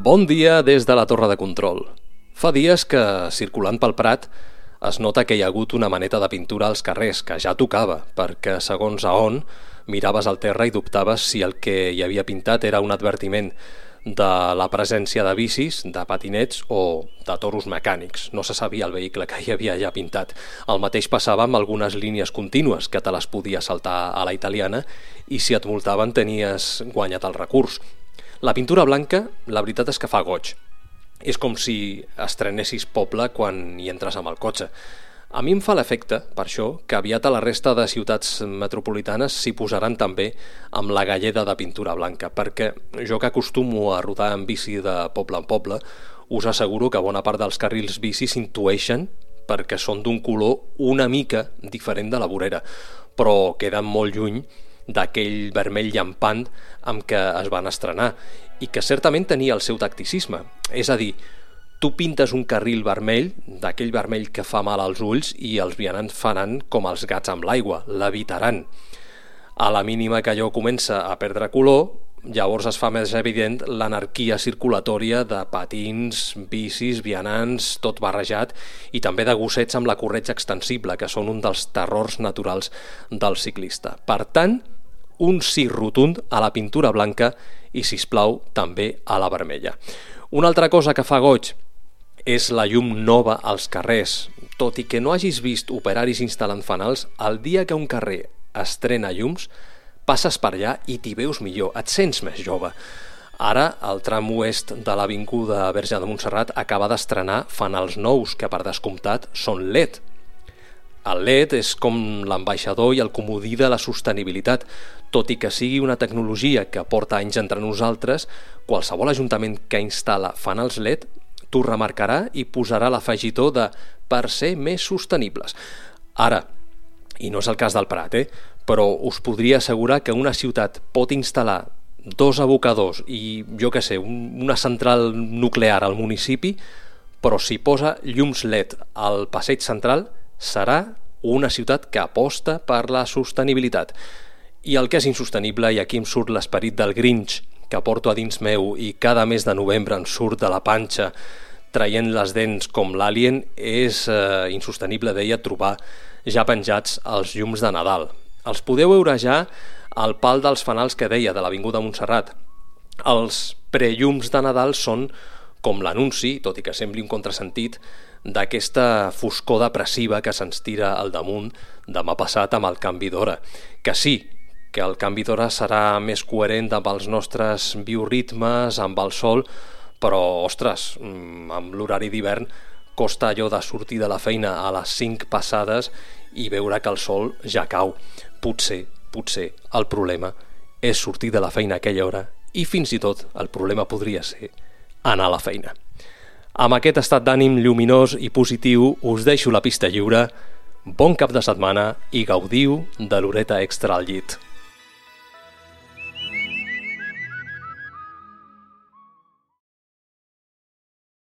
Bon dia des de la torre de control. Fa dies que, circulant pel Prat, es nota que hi ha hagut una maneta de pintura als carrers, que ja tocava, perquè segons a on miraves al terra i dubtaves si el que hi havia pintat era un advertiment de la presència de bicis, de patinets o de toros mecànics. No se sabia el vehicle que hi havia ja pintat. El mateix passava amb algunes línies contínues, que te les podies saltar a la italiana, i si et multaven tenies guanyat el recurs. La pintura blanca, la veritat és que fa goig. És com si estrenessis poble quan hi entres amb el cotxe. A mi em fa l'efecte, per això, que aviat a la resta de ciutats metropolitanes s'hi posaran també amb la galleda de pintura blanca, perquè jo que acostumo a rodar en bici de poble en poble, us asseguro que bona part dels carrils bici s'intueixen perquè són d'un color una mica diferent de la vorera, però queden molt lluny d'aquell vermell llampant amb què es van estrenar i que certament tenia el seu tacticisme. És a dir, tu pintes un carril vermell, d'aquell vermell que fa mal als ulls, i els vianants faran com els gats amb l'aigua, l'evitaran. A la mínima que allò comença a perdre color, llavors es fa més evident l'anarquia circulatòria de patins, bicis, vianants, tot barrejat, i també de gossets amb la corretja extensible, que són un dels terrors naturals del ciclista. Per tant, un sí rotund a la pintura blanca i, sisplau, també a la vermella. Una altra cosa que fa goig és la llum nova als carrers. Tot i que no hagis vist operaris instal·lant fanals, el dia que un carrer estrena llums, passes per allà i t'hi veus millor, et sents més jove. Ara, el tram oest de l'avinguda Verge de Montserrat acaba d'estrenar fanals nous, que per descomptat són LED. El LED és com l'ambaixador i el comodí de la sostenibilitat. Tot i que sigui una tecnologia que porta anys entre nosaltres, qualsevol ajuntament que instal·la fanals LED t'ho remarcarà i posarà l'afegitó de per ser més sostenibles. Ara, i no és el cas del Prat, però us podria assegurar que una ciutat pot instal·lar 2 abocadors i, jo què sé, una central nuclear al municipi, però si posa llums LED al passeig central, serà una ciutat que aposta per la sostenibilitat. I el que és insostenible, i aquí em surt l'esperit del Grinch que porto a dins meu i cada mes de novembre em surt de la panxa traient les dents com l'Alien, és insostenible, deia, trobar ja penjats els llums de Nadal. Els podeu veure ja al pal dels fanals que deia de l'Avinguda Montserrat. Els prellums de Nadal són com l'anunci, tot i que sembli un contrasentit, d'aquesta foscor depressiva que se'ns tira al damunt demà passat amb el canvi d'hora. Que sí, que el canvi d'hora serà més coherent amb els nostres bioritmes, amb el sol, però, ostres, amb l'horari d'hivern costa allò de sortir de la feina a les 5 passades i veure que el sol ja cau. Potser el problema és sortir de la feina a aquella hora i fins i tot el problema podria ser anar a la feina. Amb aquest estat d'ànim lluminós i positiu us deixo la pista lliure. Bon cap de setmana i gaudiu de l'horeta extra al llit.